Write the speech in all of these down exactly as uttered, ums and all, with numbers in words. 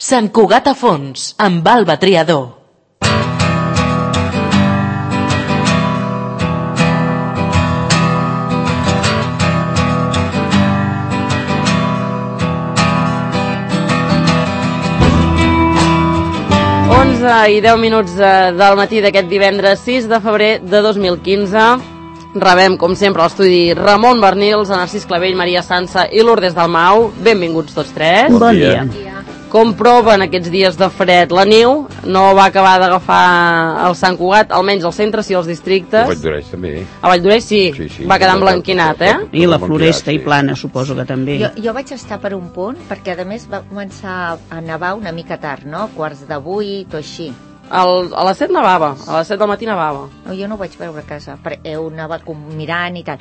Sant Cugat a fons, amb Alba Triador. onze i deu minuts del matí d'aquest divendres sis de febrer de dos mil quinze. Rebem, com sempre, a l'estudi Ramon Bernils, Narcís Clavell, Maria Sansa i Lourdes Dalmau. Benvinguts tots tres. Bon dia. Com proven aquests dies de fred? La neu no va acabar d'agafar el Sant Cugat, almenys al centre, sí, als districtes. A Valldoreix també. A Valldoreix sí, sí, sí, va quedar emblanquinat, eh? I la Floresta i Plana, suposo que també. Jo, jo vaig estar per un punt, perquè a més va començar a nevar una mica tard, no? Quarts de vuit o així. El, a les set nevava, a les set del matí nevava. No, jo no ho vaig veure a casa, perquè heu anava mirant i tal.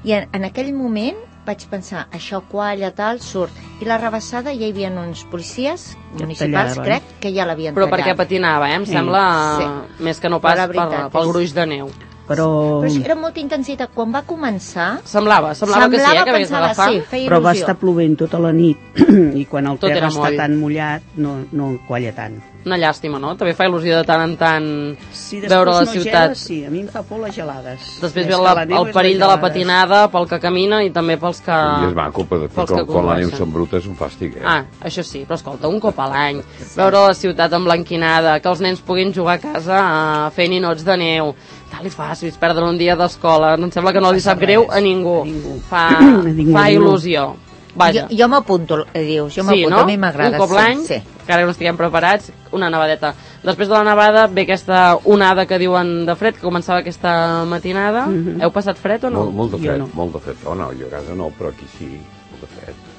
I en, en aquell moment vaig pensar, això qualla, tal, surt. I la rebassada ja hi havia uns policies municipals, crec, que ja l'havien tallat. Però perquè patinava, eh? Em sí. sembla sí. més que no pas per, pel gruix de neu. Però... Però sí, era molta intensitat. Quan va començar... Semblava, semblava, semblava que sí, eh, que havies d'agafar. Sí, feia Però il·lusió. va estar plovent tota la nit i quan el Tot terra està moll. tan mullat no, no qualla tant. Una llàstima, no? També fa il·lusió de tant en tant si veure la no ciutat. Gela, sí, a mi em fa por les gelades. Després ve la, el perill de la patinada pel que camina i també pels que... I és maco, però quan, quan la neu són brutes és un fàstic, eh? Ah, això sí, però escolta, un cop a l'any, veure la ciutat emblanquinada, que els nens puguin jugar a casa uh, fent ninots de neu, tal i fàcil, perdre un dia d'escola, em sembla que no li sap greu a ningú. A ningú. Fa, a ningú, fa il·lusió. Vaja. Jo, jo m'apunto, dius, jo sí, m'apunto, no? A mi m'agrada. Un cop l'any, sí, sí. encara que no estiguem preparats, una nevadeta. Després de la nevada ve aquesta onada que diuen de fred, que començava aquesta matinada. Mm-hmm. Heu passat fred o no? Molt, molt de fred, no. molt de fred. Oh, no, jo a casa no, però aquí sí, molt de fred.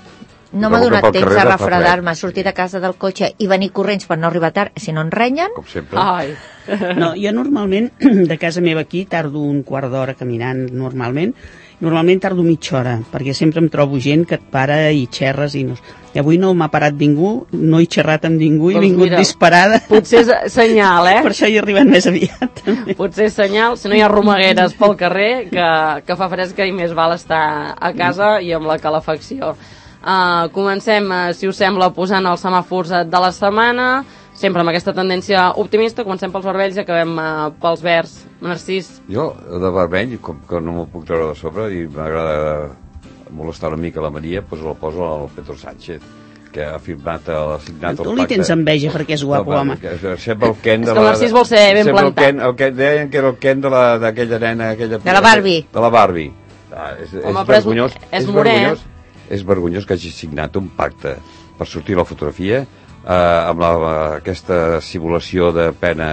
No m'ha donat temps a refredar-me, sortir de casa del cotxe i venir corrents per no arribar tard, si no en renyen. Com sempre. Ai. No, jo normalment, de casa meva aquí, tardo un quart d'hora caminant normalment. Normalment tardo mitja hora, perquè sempre em trobo gent que et para i xerres i no... I avui no m'ha parat ningú, no he xerrat amb ningú, he doncs vingut mira, disparada. Potser és senyal, eh? Per això he arribat més aviat. També. Potser és senyal, si no hi ha romagueres pel carrer, que, que fa fresca i més val estar a casa i amb la calefacció. Uh, comencem, uh, si us sembla, posant els semàfors de la setmana, sempre amb aquesta tendència optimista. Comencem pels vermells i acabem uh, pels verds. Narcís? Jo, de vermell, com que no m'ho puc treure de sobre i m'agrada molestar una mica la Maria, doncs la poso al Pedro Sánchez, que ha firmat, ha signat el pacte. Tu li tens enveja perquè és guapo, home. Sembla el Ken de la... És que el Narcís vol ser ben plantat. El Ken, el Ken, deien que era el Ken d'aquella nena... Aquella, de la Barbie. De la Barbie. Ah, és, home, és vergonyós. És, és vergonyós, és vergonyós que hagi signat un pacte per sortir la fotografia eh, amb la, aquesta simulació de pena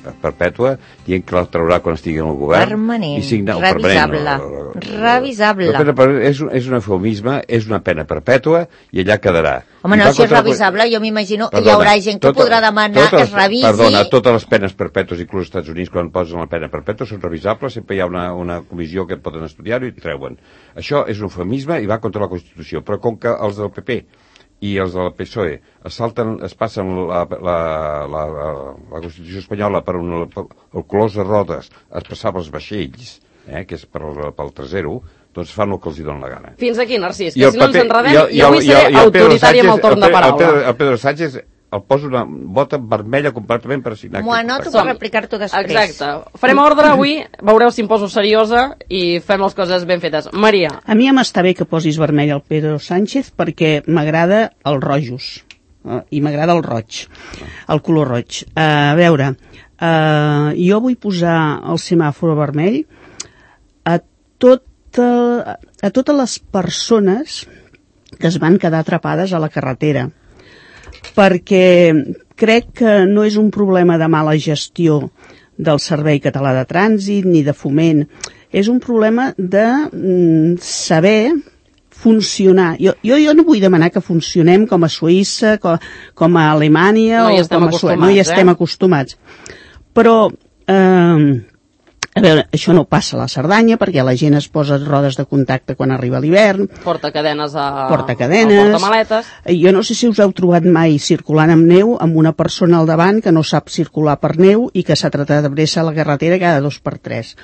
perpètua, dient que la traurà quan estigui en el govern. Permanent, i signa, revisable. Permanent, no, revisable. No, però és, és un eufemisme, és una pena perpètua i allà quedarà. Home, no, si és revisable, jo m'imagino que hi haurà gent que tota, podrà demanar totes, que es revisi. Perdona, totes les penes perpètues, inclús als Estats Units, quan posen la pena perpètua, són revisables, sempre hi ha una, una comissió que poden estudiar-ho i treuen. Això és un eufemisme i va contra la Constitució, però com que els del P P i els del P S O E es, salten, es passen la, la, la, la, la Constitució espanyola per un, el colors de rodes, es passava els vaixells, eh, que és per, pel trasero, doncs fan el que els hi dona la gana. Fins aquí, Narcís, que si no ens enredem, jo, jo, avui jo, seré jo, autoritari amb el torn de paraula. El Pedro, el Pedro Sánchez el poso una bota vermella completament per signar. M'ho anoto per replicar-t'ho després. Exacte. Farem ordre avui, veureu si em poso seriosa i fem les coses ben fetes. Maria. A mi em està bé que posis vermell al Pedro Sánchez perquè m'agrada els rojos eh, i m'agrada el roig, el color roig. Uh, a veure, uh, jo vull posar el semàfor vermell a, tot, uh, a totes les persones que es van quedar atrapades a la carretera, perquè crec que no és un problema de mala gestió del Servei Català de Trànsit ni de foment, és un problema de mm, saber funcionar. Jo, jo, jo no vull demanar que funcionem com a Suïssa, com, com a Alemanya no o com a Suècia, no hi estem eh? acostumats. Però eh, a veure, això no passa a la Cerdanya perquè la gent es posa rodes de contacte quan arriba l'hivern. Porta cadenes a... Porta cadenes. Porta maletes. Jo no sé si us heu trobat mai circulant amb neu amb una persona al davant que no sap circular per neu i que s'ha tratat de bressa a la carretera cada dos per tres.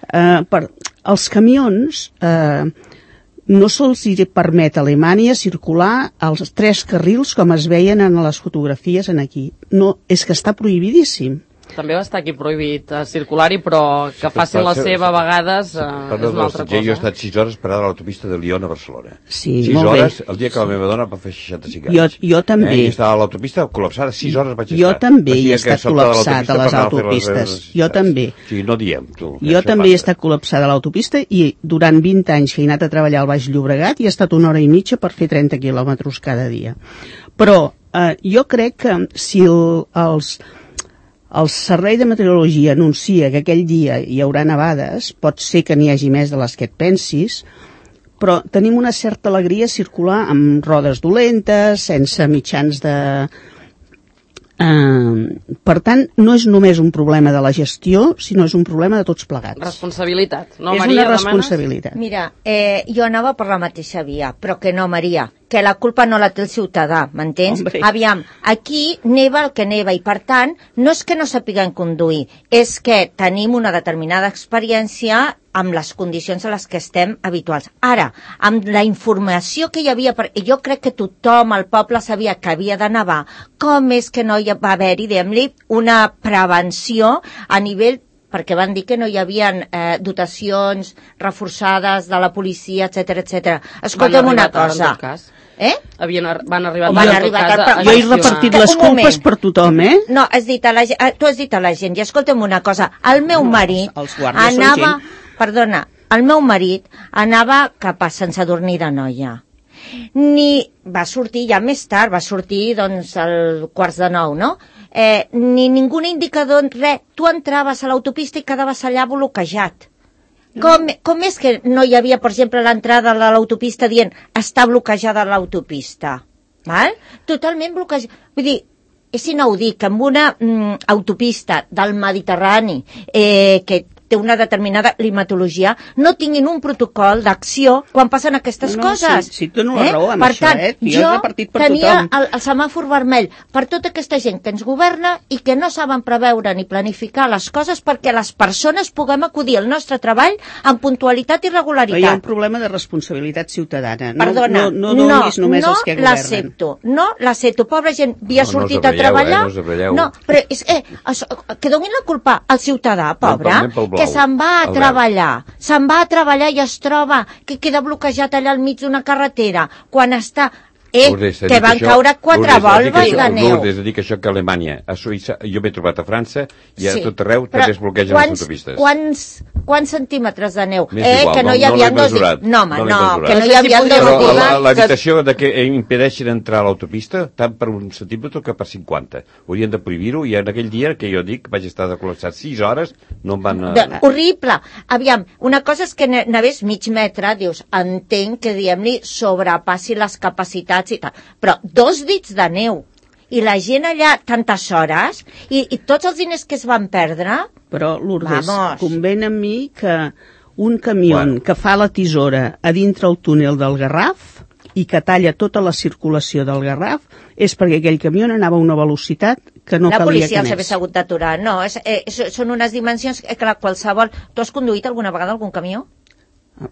Uh, per, els camions... Uh, no se'ls permet a Alemanya circular als tres carrils com es veien en les fotografies en aquí. No, és que està prohibidíssim. També va estar aquí prohibit uh, circular-hi, però que facin la seva a vegades uh, és una altra cosa. Jo he estat sis hores parada a l'autopista de Lyon a Barcelona. Sí, sis molt hores, bé. El dia que la meva dona va fer seixanta-cinc anys. Jo, jo també. Eh? I estava a l'autopista col·lapsada, sis hores vaig estar. Jo també he estat col·lapsat a les autopistes. Jo també. Sí, no diem, tu. Jo també he estat col·lapsada a l'autopista i durant vint anys que he anat a treballar al Baix Llobregat i he estat una hora i mitja per fer trenta quilòmetres cada dia. Però eh, jo crec que si el, els... el Servei de Meteorologia anuncia que aquell dia hi haurà nevades, pot ser que n'hi hagi més de les que et pensis, però tenim una certa alegria circular amb rodes dolentes, sense mitjans de... Uh, per tant, no és només un problema de la gestió, sinó és un problema de tots plegats. Responsabilitat, no, és Maria? És una responsabilitat. Demanes? Mira, eh, jo anava per la mateixa via, però que no, Maria, que la culpa no la té el ciutadà, m'entens? Aviam, aquí neva el que neva i, per tant, no és que no sapiguem conduir, és que tenim una determinada experiència amb les condicions a les que estem habituals. Ara, amb la informació que hi havia, jo crec que tothom al poble sabia que havia de nevar, com és que no hi va haver-hi, diguem-li, una prevenció a nivell, perquè van dir que no hi havia eh, dotacions reforçades de la policia, etcètera, etcètera. Escolta'm una cosa. Eh? Havien, van arribar van arribar a, a, jo he repartit les culpes per tothom, eh? No, has dit a la, tu has dit a la gent, i escolta'm una cosa, el meu marit els, els anava, perdona, el meu marit anava cap a Sant Sadurní d'Anoia. Ni va sortir ja més tard, va sortir doncs al quarts de nou, no? Eh, ni ningú indicador, res, tu entraves a l'autopista i quedaves allà bloquejat. Com, com és que no hi havia, per exemple, l'entrada de l'autopista dient està bloquejada l'autopista? Val? Totalment bloquejada. Vull dir, és inaudit que amb una mm, autopista del Mediterrani eh, que té una determinada climatologia, no tinguin un protocol d'acció quan passen aquestes no, coses. Sí, sí, tu no la raó amb per això, tant, eh? Jo, jo per tenia el, el semàfor vermell per tota aquesta gent que ens governa i que no saben preveure ni planificar les coses perquè les persones puguem acudir al nostre treball amb puntualitat i regularitat. Però hi ha un problema de responsabilitat ciutadana. No, Perdona, no, no donis no, només no els que governen. l'accepto, no l'accepto. Pobra gent, havia no, sortit no a treballar. Eh, no, us no, però és, eh, això, que donin la culpa al ciutadà, pobre, no, que se'n va a treballar, se'n va a treballar i es troba que queda bloquejat allà al mig d'una carretera, quan està... Eh, Lourdes, que van això, caure quatre Lourdes, volves això, de neu. Lourdes, dic això que a Alemanya, a Suïssa, jo m'he trobat a França i a Sí, tot arreu però també es bloquegen quants, les autopistes. Quants, quants centímetres de neu? M'és Eh, igual, que no, no- hi no havia l'he dos... mesurat, No, home, no l'he no, mesurat. que no hi No sé si havia podria dos... Però recordar la- que- l'evitació de que impedeixin entrar a l'autopista tant per un centímetre que per cinquanta. Haurien de prohibir-ho i en aquell dia que jo dic vaig estar de col·lapsat sis hores, no em van... De, horrible. Aviam, una cosa és que n'hagués mig metre, dius, entenc que, diguem-li, sobrepassi les capacitats i tal, però dos dits de neu i la gent allà tantes hores i, i tots els diners que es van perdre. Però, Lourdes, Vamos. conven amb mi que un camió Bueno. que fa la tisora a dintre el túnel del Garraf i que talla tota la circulació del Garraf és perquè aquell camió anava a una velocitat que no la calia policia que els hagués anés. hagut d'aturar. No, és, eh, és, són unes dimensions que la qualsevol... Tu has conduït alguna vegada algun camió?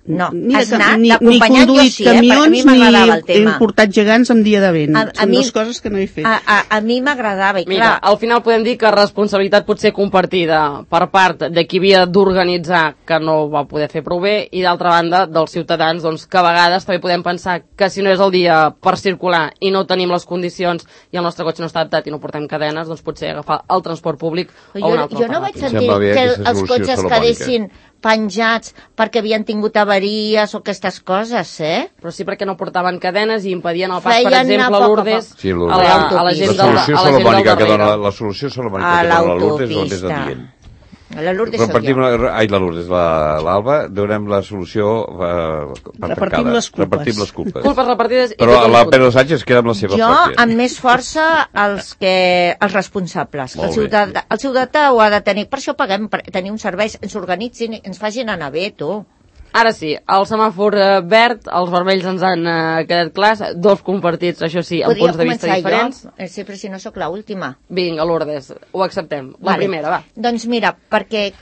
No, Ni, has de, anat ni, ni d'acompanyant, jo conduït sí, eh, perquè a camions mi ni m'agradava el he tema. portat gegants amb dia de vent. A- a Són mi- dues coses que no he fet. A, a, a mi m'agradava, i Mira, clar... al final podem dir que responsabilitat pot ser compartida per part de qui havia d'organitzar que no ho va poder fer prou bé i d'altra banda dels ciutadans doncs, que a vegades també podem pensar que si no és el dia per circular i no tenim les condicions i el nostre cotxe no està adaptat i no portem cadenes, doncs potser agafar el transport públic o Jo, un altre jo no vaig alternatiu. sentir Sembla bé que aquesta els solució cotxes salomònica. quedessin penjats perquè havien tingut avaries o aquestes coses, eh? Però sí perquè no portaven cadenes i impedien el pas, per Feien anar exemple, a poc a Lourdes, poc. Sí, a, Lourdes. la, a la gent La del, solució a la gent del salomònica que dona, darrere. la solució A salomònica que dona la Lourdes és el més l'autopista. adient. La Lourdes Repartim, sóc jo. la, ai, la Lourdes, la- l'Alba, donem la solució eh, per Repartim tancada. les culpes. Repartim les culpes. Culpes repartides i Però tothom la discutim. Pedro Sánchez queda amb la seva Jo, pròpia. amb més força, els, que, els responsables. Molt El ciutadà, el ciutadà ho ha de tenir. Per això paguem, per tenir uns serveis, ens organitzin, ens facin anar bé, tu. Ara sí, el semàfor eh, verd, els vermells ens han eh, quedat clars, dos compartits, això sí, amb Podria punts de vista començar diferents. jo, eh, sempre si no sóc l'última. Vinga, Lourdes, ho acceptem. La Vale. primera, va. Doncs mira, perquè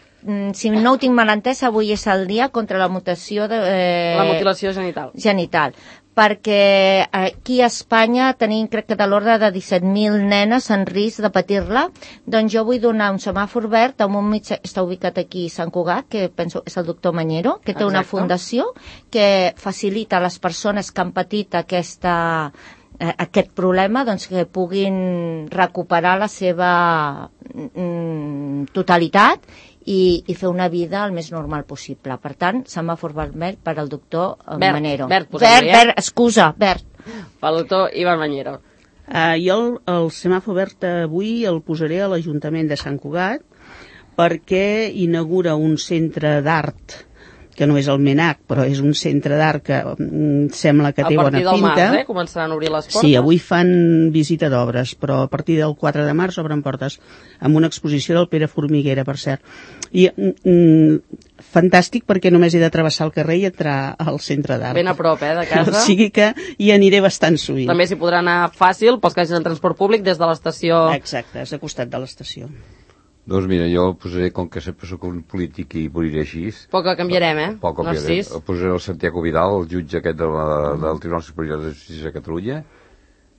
si no ho tinc mal entès, avui és el dia contra la mutació de... Eh, la mutilació genital. Genital. Perquè aquí a Espanya tenim, crec que de l'ordre de disset mil nenes en risc de patir-la, doncs jo vull donar un semàfor verd a un metge, està ubicat aquí a Sant Cugat, que penso és el doctor Mañero, que té Exacte. Una fundació que facilita a les persones que han patit aquesta, eh, aquest problema, doncs que puguin recuperar la seva mm, totalitat I, i fer una vida el més normal possible. Per tant, semàfor vermell per al doctor Bert, Manero. Bert, Bert, Bert, excusa, Bert. Pel doctor Ivan Mañero. Uh, jo el, el semàfor verd avui el posaré a l'Ajuntament de Sant Cugat perquè inaugura un centre d'art que no és el MENAC, però és un centre d'art que mm, sembla que té bona pinta. A partir del març, eh? Començaran a obrir les portes. Sí, avui fan visita d'obres, però a partir del quatre de març obren portes amb una exposició del Pere Formiguera, per cert. I mm, fantàstic perquè només he de travessar el carrer i entrar al centre d'art. Ben a prop, eh, de casa. O sigui que hi aniré bastant sovint. També s'hi podrà anar fàcil pels que hagin en transport públic des de l'estació. Exacte, és a costat de l'estació. Doncs mira, jo el posaré, com que sempre soc un polític i moriré així... Poc que canviarem, eh? Poc que canviarem. Narcís. El posaré el Santiago Vidal, el jutge aquest de la, del Tribunal Superior de Justícia de Catalunya,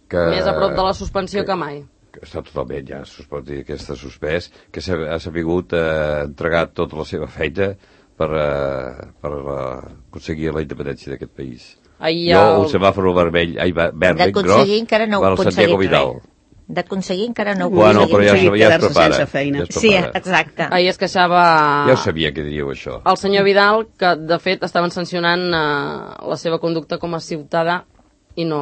que... Més a prop de la suspensió que, que mai. Que està totalment ja suspès, que està suspès, que ha sabut eh, entregar tota la seva feina per, eh, per eh, aconseguir la independència d'aquest país. Ahir jo, el... el semàfor vermell, ai, verd ben gros, encara no per al Santiago Vidal. Res. D'aconseguir encara no ho bueno, però ja, ja, ja es prepara. Sense feina. Ja es sí, exacte. Ahir es queixava... Ja ho sabia que diríeu això. El senyor Vidal, que de fet estaven sancionant eh, la seva conducta com a ciutadà i no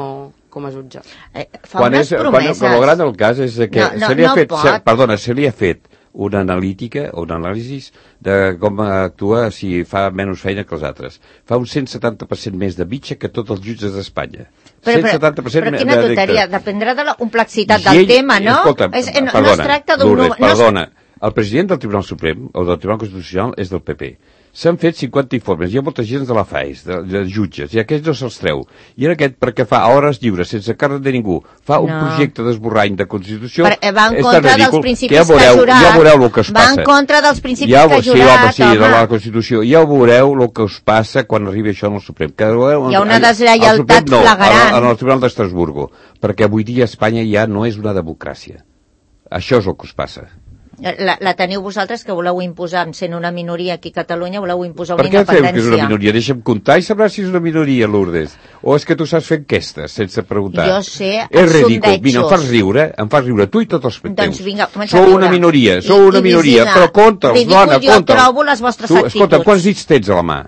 com a jutge. Eh, fa quan unes és, promeses. Quan, quan el gran el cas és que no, no, se li ha no fet, se, perdona, se li ha fet una analítica, un anàlisi de com actua si fa menys feina que els altres. Fa un cent setanta per cent més de mitja que tots els jutges d'Espanya. Però, cent setanta per cent però quina tonteria, dependrà de la complexitat del ell, tema, no? Escolta, és, no, perdona, no es tracta d'un... Lourdes, no perdona, el president del Tribunal Suprem, o del Tribunal Constitucional, és del P P. S'han fet cinquanta informes, hi ha molta gent de la FAES, de, de jutges, i aquests no se'ls treu. I en aquest, perquè fa a hores lliures, sense càrrec de ningú, fa un no. projecte d'esborrany de Constitució, per, va en és contra tan ridícul, dels principis que ja veureu, que ha jurat, ja veureu el que us va passa. en contra dels principis ja, que ha sí, jurat, home, sí, home. de la Constitució. Ja veureu el que us passa quan arribi això en el Suprem. Que, hi ha una deslleialtat no, flagrant. En el Tribunal d'Estrasburgo, perquè avui dia Espanya ja no és una democràcia. Això és el que us passa. La, la teniu vosaltres, que voleu imposar, sent una minoria aquí a Catalunya, voleu imposar una per què independència. fem que és una minoria? Deixa'm comptar i sabràs si és una minoria, Lourdes. O és que tu saps fer enquestes sense preguntar? Jo sé és ridícul. sondejos. Mira, em fas riure, em fas riure tu i tots els teus. Doncs vinga, comença Sou a riure. una minoria, sou I, una i minoria, Virginia, però conta'ls, ridícul, dona, jo conta'ls. trobo les vostres tu, actituds. Escolta, quants dits tens a la mà?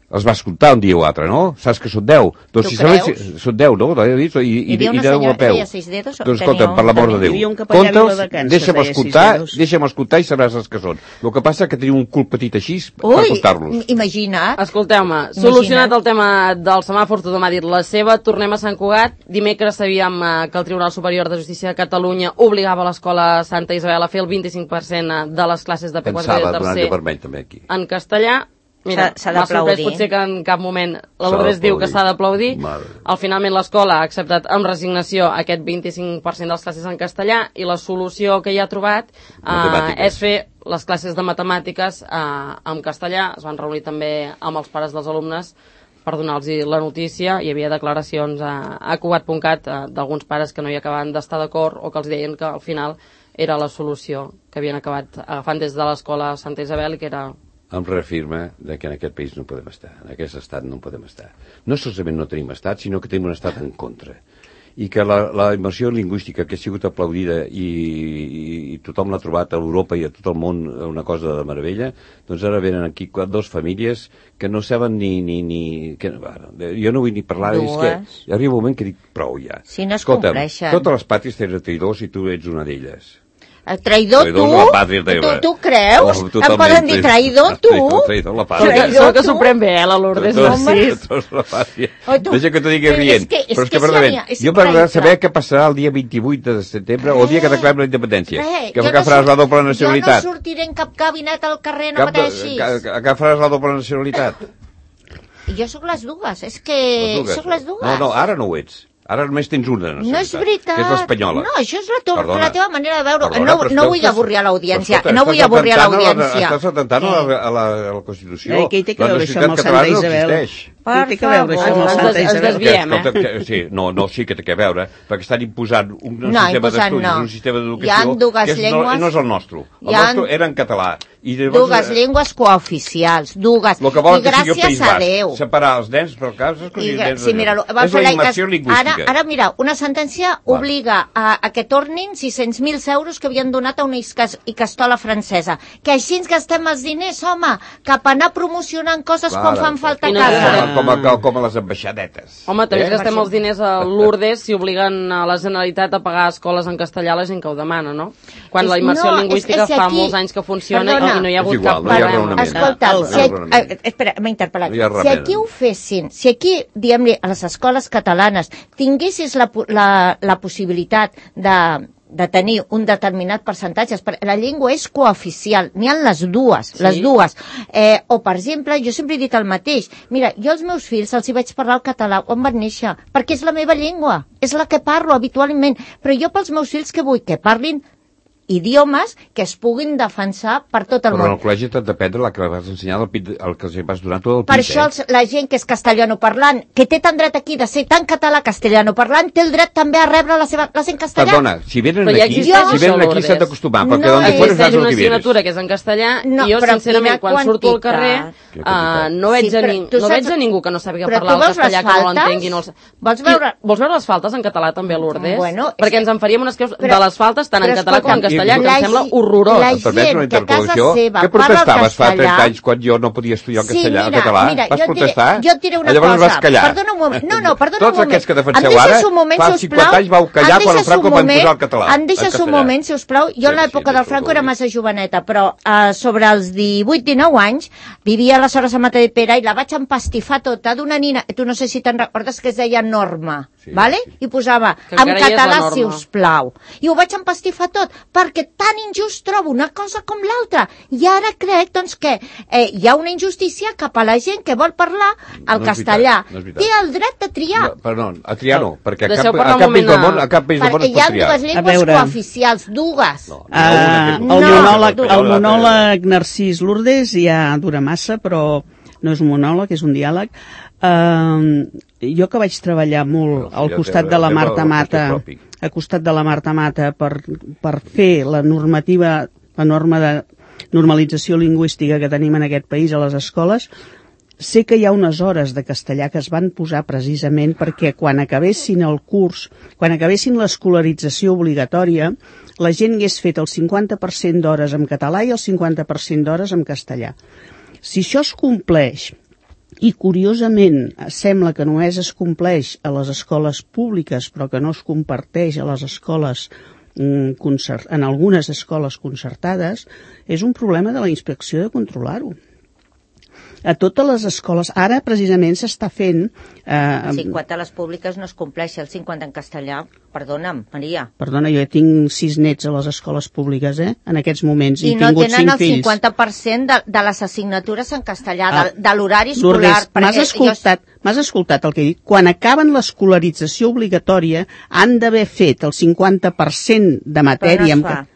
Els vas comptar un dia o altre, no? Saps que són deu. Doncs tu si sabes, creus? són deu, no? I, i, i, Hi havia una i deu senyora a peu. que deia sis dedos, Doncs tenia escolta, un per l'amor de camí. Déu. Hi havia un capellà Conta'ls, viladecans que deixa'm feia escoltar, sis dedos. deixa'm escoltar i sabràs els que són. El que passa és que teniu un cul petit així per Ui, comptar-los. imagina't. Escolteu-me, solucionat el tema del semàfor, tothom ha dit la seva, tornem a Sant Cugat. Dimecres sabíem eh, que el Tribunal Superior de Justícia de Catalunya obligava l'escola Santa Isabel a fer el vint-i-cinc per cent de les classes de P quatre i de Pensava donar-li tercer vermell també aquí. en castellà. Mira, S'ha m'ha sorprès d'aplaudir. potser que en cap moment la S'ha Lourdes diu que d'aplaudir. s'ha d'aplaudir. Mare. Al finalment l'escola ha acceptat amb resignació aquest vint-i-cinc per cent de les classes en castellà i la solució que hi ha trobat eh, Matemàtiques. és fer les classes de matemàtiques eh, en castellà. Es van reunir també amb els pares dels alumnes per donar-los la notícia. Hi havia declaracions a, a cugat punt cat eh, d'alguns pares que no hi acabaven d'estar d'acord o que els deien que al final era la solució que havien acabat agafant des de l'escola Santa Isabel i que era... Em reafirma de que en aquest país no podem estar, en aquest estat no podem estar. No solament no tenim estat, sinó que tenim un estat en contra. I que la, la immersió lingüística que ha sigut aplaudida i, i, i tothom l'ha trobat a Europa i a tot el món una cosa de meravella, doncs ara venen aquí dues famílies que no saben ni... ni, ni que, bueno, jo no vull ni parlar, Dues. és que arriba un moment que dic prou ja. Si no es Escolta'm, compleixen. totes les pàtries tenen traïdors i tu ets una d'elles. El traïdor, Traïdors tu? de la pàtria tu, teva. tu creus? Oh, em totalment. poden dir traïdor, tu? Traïdor, traïdor, la pàtria. Segur que, Traïdor, segur que tu? s'ho pren bé, eh, la Lourdes, Tots- Narcís. tots la pàtria. Oi, tu- Deixa que t'ho digui és rient. que- és Però és que que, si perdament, n'hi ha- és jo m'agrada increïble. saber què passarà el dia vint-i-vuit de setembre o el dia que declarem la independència. Res, Que jo que no faràs surt- la doble nacionalitat. Jo no sortiré en cap gabinet al carrer, no Cap de- pateixis. que, que faràs la doble nacionalitat. Jo sóc les dues, és que Les dues. sóc les dues. No, no, ara no ho ets. Ara només tens una nacionalitat. No és veritat. Que és l'espanyola. No, això és la, tu, la teva manera de veure. Perdona, no no vull avorrir a l'audiència. No vull avorrir a l'audiència. Estàs atentant a la, a, la, a la Constitució. Eh, què hi té que veure això amb el Santa Isabel? Què hi té que veure això amb el Santa Isabel? Ens desviem, eh? Sí, no, no, sí que té que veure, perquè estan imposant un sistema d'estudis, un sistema d'educació que no és el nostre. El nostre era en català. Dues llengües cooficials, dues. El que volen que sigui el País Basc, separar els nens per casa, sí, mira, és la immersió lingüística. Ara, ara, mira, una sentència obliga a, a que tornin sis-cents mil euros que havien donat a una icastola francesa. Que així ens gastem els diners, home, cap a anar promocionant coses quan fan falta a casa. Com a, com a les ambaixadetes. Home, també gastem els diners a Lourdes si obliguen a la Generalitat a pagar escoles en castellà a la gent que ho demana, no? Quan la immersió lingüística fa molts anys que funciona i no hi ha hagut cap problema. Escolta, espera, m'he interpel·lat. Si aquí ho fessin, si aquí, diguem-li, a les escoles catalanes tinguessis la, la, la possibilitat de, de tenir un determinat percentatge, la llengua és cooficial, n'hi ha les dues, sí. les dues. Eh, o, per exemple, jo sempre he dit el mateix, mira, jo als meus fills els hi vaig parlar el català quan van néixer, perquè és la meva llengua, és la que parlo habitualment, però jo pels meus fills que vull que parlin idiomes que es puguin defensar per tot el però món. Però en el col·legi t'has d'aprendre la que vas ensenyar el, el que els vas donar tot el pit. Per això els, la gent que és castellanoparlant, que té tant dret aquí de ser tan català castellanoparlant, té el dret també a rebre la seva classe en castellà. Perdona, si venen aquí, si venen aquí s'han d'acostumar, perquè no existeix una assignatura que és en castellà no, i jo, sincerament, quan quantitat. surto al carrer uh, no veig, sí, a, ning no saps... veig a ningú que no sàpiga parlar el castellà, que no l'entengui. No els... vols, veure... vols veure les faltes en català també a Lourdes? Bueno, perquè ens en faríem unes creus de les faltes tant en català com en castellà. Castellà, que em sembla horrorós. La gent que a casa seva què protestaves fa trenta anys quan jo no podia estudiar el castellà, sí, mira, català? Mira, vas jo protestar? Diré, jo et diré una Llavors cosa. Vas callar. Perdona un moment. No, no, perdona Tots un moment. aquests que defenseu ara, fa cinquanta anys vau callar quan el Franco va imposar el català. Em deixes un moment, si us plau. Jo en l'època del Franco era massa joveneta, però uh, sobre els divuit dinou anys vivia aleshores a Matadepera i la vaig empastifar tota d'una nina, tu no sé si te'n recordes, que es deia Norma. Sí, vale? Sí. I posava en català, si us plau. I ho vaig empastifar tot, perquè tan injust trobo una cosa com l'altra. I ara crec, doncs, que eh, hi ha una injustícia cap a la gent que vol parlar el no castellà. Veritat, no té el dret de triar. No, perdó, a triar no, perquè a cap, a cap país del món, a cap país del món es pot triar. Perquè hi ha dues llengües cooficials, dues. No, uh, el, no, monòleg, el monòleg Narcís Lourdes ja dura massa, però no és un monòleg, és un diàleg. Uh, jo que vaig treballar molt al costat de la Marta Mata, al costat de la Marta Mata per, per fer la normativa, la norma de normalització lingüística que tenim en aquest país a les escoles, sé que hi ha unes hores de castellà que es van posar precisament perquè quan acabessin el curs, quan acabessin l'escolarització obligatòria, la gent hagués fet el cinquanta per cent d'hores en català i el cinquanta per cent d'hores en castellà. Si això es compleix, i curiosament sembla que només es compleix a les escoles públiques però que no es comparteix a les escoles en algunes escoles concertades, és un problema de la inspecció de controlar-ho. A totes les escoles, ara precisament s'està fent... Eh, el cinquanta a les públiques no es compleix, el cinquanta en castellà, perdona'm, Maria. Perdona, jo tinc sis nets a les escoles públiques, eh, en aquests moments, i, i no tingut cinc fills. I no tenen el cinquanta per cent de, de les assignatures en castellà, ah, de, de l'horari escolar. M'has escoltat, jo... m'has escoltat el que he dit? Quan acaben l'escolarització obligatòria, han d'haver fet el cinquanta per cent de matèria... Però no es fa.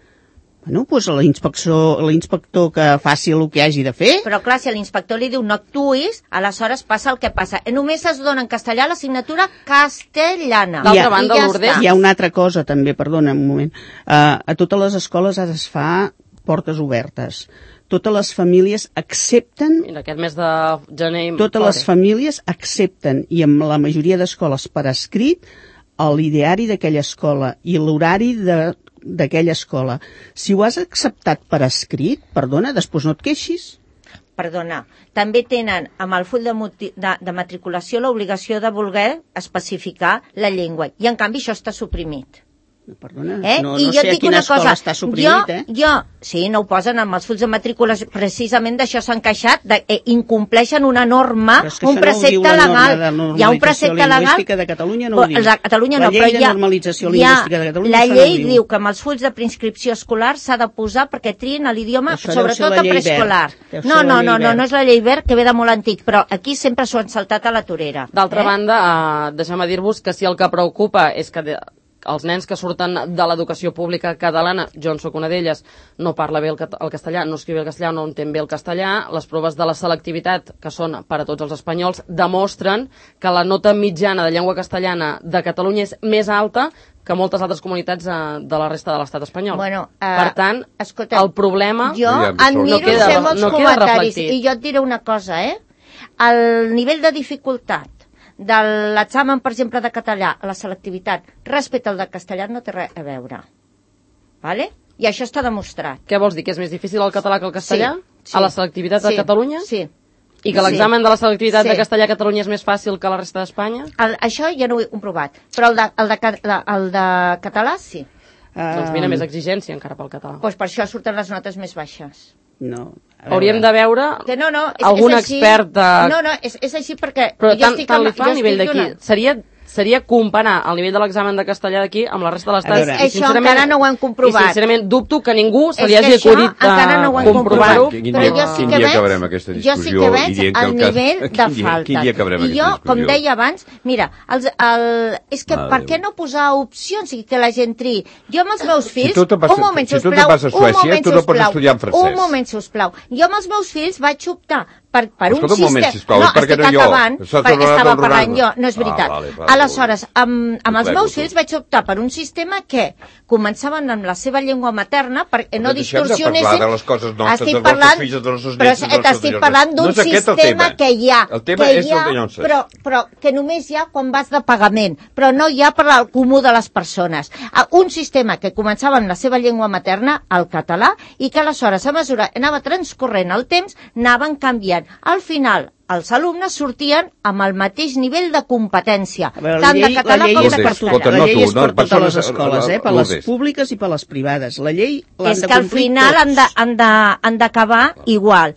Bueno, doncs l'inspector, l'inspector que faci el que hagi de fer. Però clar, si l'inspector li diu no actuïs, aleshores passa el que passa. Només es dona en castellà l'assignatura castellana. D'altra banda, ja Lourdes... Hi ha una altra cosa també, perdona un moment. Uh, a totes les escoles ara es fa portes obertes. Totes les famílies accepten... Mira, aquest mes de gener... Totes fora. Les famílies accepten, i amb la majoria d'escoles per escrit, l'ideari d'aquella escola i l'horari de... d'aquella escola. Si ho has acceptat per escrit, perdona, després no et queixis. Perdona, també tenen amb el full de, de, de matriculació l'obligació de voler especificar la llengua, i en canvi això està suprimit. Perdona, eh? no, I no jo sé et a dic quina una escola cosa, està suprimit, jo, eh? Jo, sí, no ho posen amb els fulls de matrícula, precisament d'això s'han queixat, de, eh, incompleixen una norma, Però és que un això no ho precepte diu la norma legal. de Hi ha un precepte legal... lingüística de Catalunya no ho diu. La, Catalunya la no, llei però de hi ha, normalització hi ha, lingüística de Catalunya la això llei no ho diu. diu que amb els fulls de preinscripció escolar s'ha de posar perquè trien l'idioma, Això deu ser sobretot la a llei preescolar. Wert. Deu No, ser no, la no, llei no, Wert. no és la llei Wert, que ve de molt antic, però aquí sempre s'ho han saltat a la torera. D'altra eh? banda, eh, deixem dir-vos que si el que preocupa és que de, els nens que surten de l'educació pública catalana, jo en soc una d'elles, no parla bé el, cat el castellà, no escriu bé el castellà, no entén bé el castellà, les proves de la selectivitat, que són per a tots els espanyols, demostren que la nota mitjana de llengua castellana de Catalunya és més alta que moltes altres comunitats eh, de la resta de l'estat espanyol. Bueno, uh, per tant, escolta, el problema... Jo Ja, admiro no queda- ser molts no queda comentaris, reflectit. i jo et diré una cosa, eh? El nivell de dificultat de l'examen, per exemple, de català a la selectivitat respecte al de castellà no té res a veure. Vale? I això està demostrat. Què vols dir, que és més difícil el català que el castellà? Sí, sí. A la selectivitat Sí, de Catalunya? Sí. I que l'examen Sí. de la selectivitat Sí. de castellà a Catalunya és més fàcil que la resta d'Espanya? El, això ja no ho he comprovat, però el de, el de, ca- la- el de català sí. Ah, Doncs mira, més exigència encara pel català. Doncs per això surten les notes més baixes. No. a veure. Hauríem de veure Que no, no, és, algun és així. expert... De... No, no, és, és així perquè... Però jo tant, estic tant amb- li fa jo a nivell estic d'aquí. donant- Seria, seria comparar el nivell de l'examen de castellà d'aquí amb la resta de A l'estat. veure. I, Això encara no ho hem comprovat. I sincerament dubto que ningú se li És que hagi això acudit encara no ho hem comprovar-ho. comprovat. Quin Però dia- jo sí quin que dia veig, acabarem aquesta jo sí discussió que i veig dient que el el cas- nivell de quin dia- falta. quin dia acabarem I aquesta jo, com discussió? deia abans, mira, els, el, és que Mare per Déu. què no posar opcions i que la gent triï? Jo amb els meus fills... tu te'n vas a- un moment, si tu te'n sisplau, vas a un Suècia, moment, tu no pots sisplau, estudiar en francès. Un moment, sisplau. Jo amb els meus fills vaig optar per, per un Escolta, un sistema... moment, sisplau, no, per què estic no jo? acabant, Estàs perquè tornant estava a enrolar-me. parlant jo, no és Ah, veritat. vale, vale, Aleshores, amb, amb els Plego, meus tu. fills vaig optar per un sistema que començaven amb la seva llengua materna perquè no Però deixem de distorsionessin... parlar de les coses nostres, Estic dels nostres parlant, fills, dels nostres però nets, dels nostres t'estic senyors. parlant d'un No és aquest el sistema tema. que hi ha, El tema que és hi ha el de llances. però, però que només hi ha quan vas de pagament, però no hi ha per al comú de les persones. Ah, Un sistema que començava amb la seva llengua materna, el català, i que aleshores, a mesura que anava transcorrent el temps, anaven canviant. Al final, els alumnes sortien amb el mateix nivell de competència, A veure, la tant llei, de català la llei com és de per, Escolta, totes, castellà. la no llei tu, és no, per totes persones- les escoles, eh? per Lourdes. les públiques i per les privades. La llei l'han És de que al complir final tots. han de- han de- han d'acabar igual.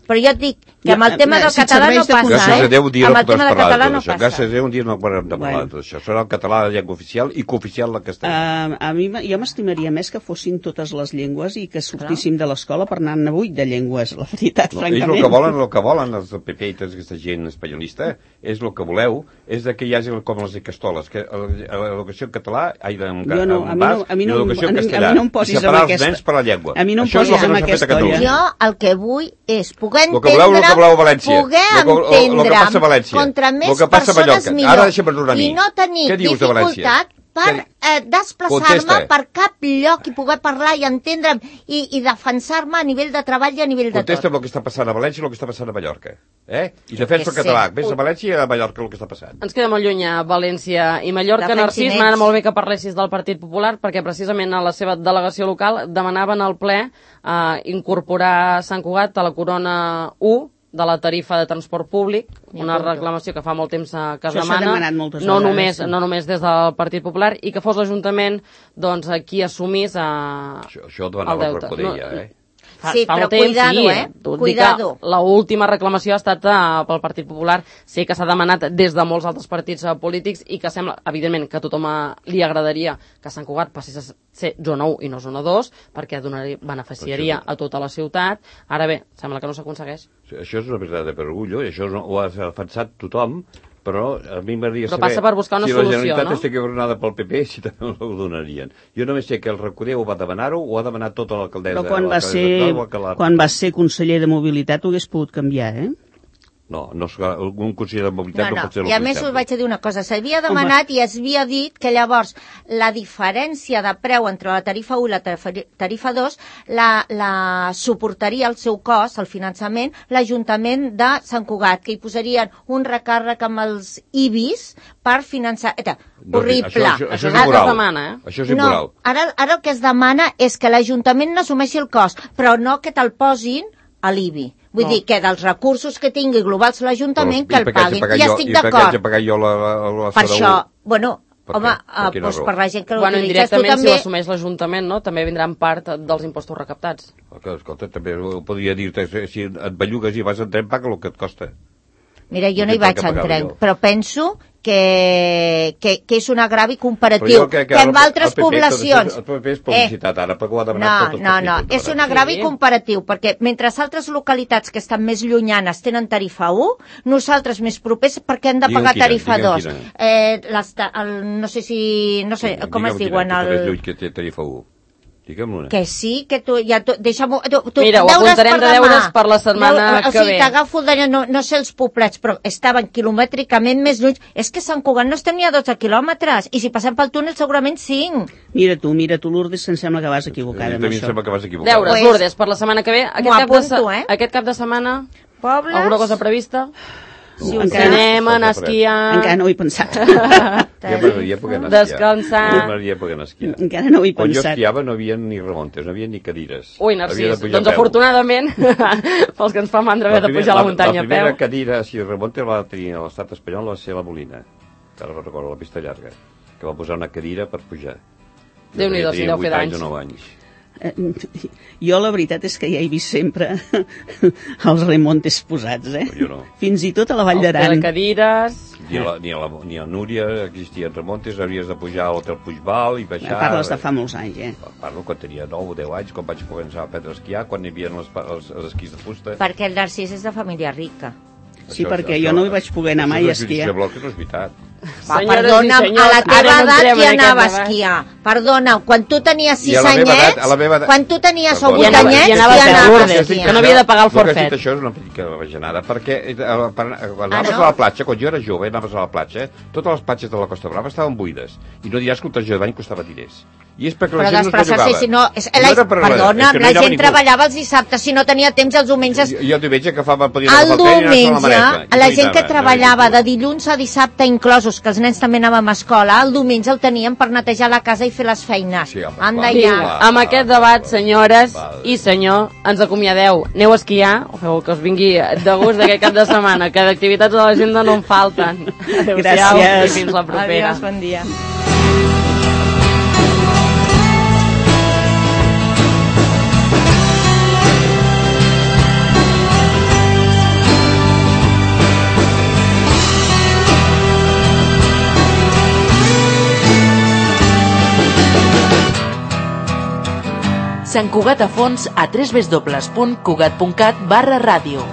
Però jo et dic que amb el Ja, tema eh, del si et català serveix no de passa, Gràcies eh? a Déu, un dia Amb no el tema podràs del parlar català de no tot això. passa. Gràcies a Déu, un dia no podrem de parlar Bueno. de tot això. Serà el català de llengua oficial i cooficial la castellà. Uh, a mi m- jo m'estimaria més que fossin totes les llengües i que sortíssim de l'escola per anar-ne buit de llengües, la veritat, No, ells francament. el que volen, el que volen els del P P i tota aquesta gent espanyolista, és el que voleu, és de que hi hagi com les castoles, que l'educació en català, ai, en, Jo no, en a mi bas, no- a mi i no- l'educació a en mi- a castellà. mi no em posis I amb separar els aquesta- nens per la llengua. a mi no em Això és posis el que amb no s'ha fet a aquesta Catalunya. olla. Jo el que vull és poder Lo que voleu, lo entendre, que voleu a València. poder Lo que- lo- lo que entendre passa a València. contra Lo més que passa a persones Mallorca. millor. Ara deixa'm parlar a mi. I no tenir Què dius de València? dificultat per Què- eh, desplaçar-me Contesta. per cap lloc i poder parlar i entendre'm i, i defensar-me a nivell de treball i a nivell de Contesta tot. el que està passant a València i el que està passant a Mallorca. Eh? I defensa el que català. sé. Ves a València i a Mallorca el que està passant. Ens queda molt lluny a València i Mallorca. Defensin Narcís, ells. m'agrada molt bé que parlessis del Partit Popular perquè precisament a la seva delegació local demanaven al ple eh, incorporar Sant Cugat a la corona u de la tarifa de transport públic, M'hi una apunto. reclamació que fa molt temps eh, que es Això s'ha demana, demanat moltes no vegades, només, sí. no només des del Partit Popular, i que fos l'Ajuntament doncs, qui assumís eh, Això, això ho el demanava el deute. Recoder, ja, eh? Fa, Sí, fa però molt temps, cuidado, sí. eh? Tu et dic Cuidado. que l'última reclamació ha estat uh, pel Partit Popular. Sé que s'ha demanat des de molts altres partits uh, polítics i que sembla, evidentment, que a tothom uh, li agradaria que Sant Cugat passés a ser zona u i no zona dos, perquè donaria, beneficiaria a tota la ciutat. Ara bé, sembla que no s'aconsegueix. Això és una veritat de perorgullo, i això no, ho ha defensat tothom, però a mi m'agradaria Però saber passa per buscar una si solució, la Generalitat no? estigui governada pel P P, si també ho donarien. Jo només sé que el Recoder ho va demanar-ho, ho ha demanat tota l'alcaldessa. Però quan va, l'alcaldessa ser, actual, que la- quan va ser conseller de mobilitat ho hagués pogut canviar, eh? No, no, és que algun conseller de mobilitat No, no, no, pot ser el i a que més us sembla. vaig a dir una cosa, s'havia demanat i es havia dit que llavors la diferència de preu entre la tarifa u i la tarifa- tarifa dos la, la suportaria el seu cost, el finançament, l'Ajuntament de Sant Cugat, que hi posarien un recàrrec amb els I B I S per finançar... Eta, No, horrible. Això, això, això és Ara immoral. es demana, eh? Això és No, immoral. ara, ara el que es demana és que l'Ajuntament n'assumeixi el cost, però no que te'l posin a l'I B I. Vull No. dir que dels recursos que tingui globals l'Ajuntament, Però, que el i per què haig de paguin. pagar I jo- estic I per què haig d'acord. de pagar jo la, la, la Per C D U? això, bueno, Per Home, què? Per uh, quina doncs raó? per la gent que Bueno, l'utilitzes, tu indirectament, si també... l'assumeix l'Ajuntament, no? També vindran part dels impostos recaptats. Escolta, també podria dir-te, si et bellugues i vas en tren, paga el que et costa. Mira, jo no hi Per vaig què en pagava tren, jo? però penso que, que, que és un agravi comparatiu, Però jo crec que en el- altres el P P, poblacions... El P P és publicitat, ara, perquè ho ha demanat No, tots els no, no, partits, és un ara. agravi Sí. comparatiu, perquè mentre altres localitats que estan més llunyanes tenen tarifa u, nosaltres més propers, perquè hem de Digue'm pagar quina, tarifa digue'm dos. quina. Eh, les ta- el, no sé si... no sé, com es diuen? El... El... Lluny que té tarifa u. Digue'm una. Que sí, que tu... Ja, tu deixa'm-ho... Tu, tu, Mira, ho deures apuntarem per de demà. deures per la setmana Deu- o que sigui, ve. t'agafo el de... No, no sé els poblets, però estaven quilomètricament més lluny. És que Sant Cugat no estem ni a dotze quilòmetres, i si passem pel túnel segurament cinc. Mira tu, mira tu, Lourdes, que em sembla que vas equivocada A amb mi em això. sembla que vas equivocar. Deures, Pues- Lourdes, per la setmana que ve. Aquest, M'ho cap de, se- apunto, eh? aquest cap de setmana, Pobles... alguna cosa prevista? Sí, Que encara, anem a anar a esquiar, encara no ho he pensat. Ja m'agradaria poder anar a esquiar. Descansar. Ja m'agradaria poder anar a esquiar. Encara no ho he Quan jo pensat. esquiava no hi havia ni remontes, no hi havia ni cadires. Ui, Havia Narcís, de pujar doncs a peu. afortunadament, pels que ens fa mandra haver de primera- pujar a la muntanya La a primera peu. cadira, si remonte, va tenir a l'estat espanyol, va ser la Molina, que ara recordo, la pista llarga, que va posar una cadira per pujar. Jo Déu-n'hi-do, si tenia deu fer vuit anys d'anys. o nou anys. Eh, Jo la veritat és que ja he vist sempre els remontes posats, eh? Però jo no. Fins i tot a la Vall El d'Aran. cadires... Ni a, la, ni, a la, ni a Núria existien remontes, havies de pujar a l'hotel Puigval i baixar... Parles de fa molts anys, eh? Parlo quan tenia nou o deu anys, quan vaig començar a aprendre a esquiar, quan hi havia els, els, els esquís de fusta. Perquè el Narcís és de família rica. Sí, perquè jo no hi vaig poder anar mai a esquiar. Això és bloc, no és veritat. Va, Senyores perdona, i senyors, a la ara teva no edat entrem qui en aquest anava a debat. esquiar? Perdona, quan tu tenies I a sis la meva edat- anyets, a la meva edat- quan tu tenies o Perdona. vuit I anava- anyets, i anava a qui fer anava a Lourdes, esquiar? que no havia de pagar el El que has forfet. dit això és una mica bajanada, perquè eh, per, quan Ah, anaves no? a la platja, quan jo era jove, anaves a la platja, totes les platges de la Costa Brava estaven buides. I no diràs que el traje de bany costava diners. I és perquè la Però gent no es desplaçar-se, bellugava. si no... És, No la, era per res, perdona, és que no la hi anava gent ningú. treballava els dissabtes, si no tenia temps els diumenges... Jo, jo el diumenge agafava, podia El agafar el tren i anar a la diumenge, Maneta. I la no hi gent que anava, treballava no de hi dilluns a dissabte inclosos, que els nens també anàvem a escola, el diumenge el teníem per netejar la casa i fer les feines. Sí, home, Anda clar. ja. Vinga, amb aquest debat, senyores Val. i senyor, ens acomiadeu. Aneu a esquiar, o feu que us vingui de gust d'aquest cap de setmana, que d'activitats a l'agenda no en falten. Adéu-siau Gràcies. i fins la propera. Adiós, bon dia. Sant Cugat a fons a w w w punt cugat punt cat barra ràdio.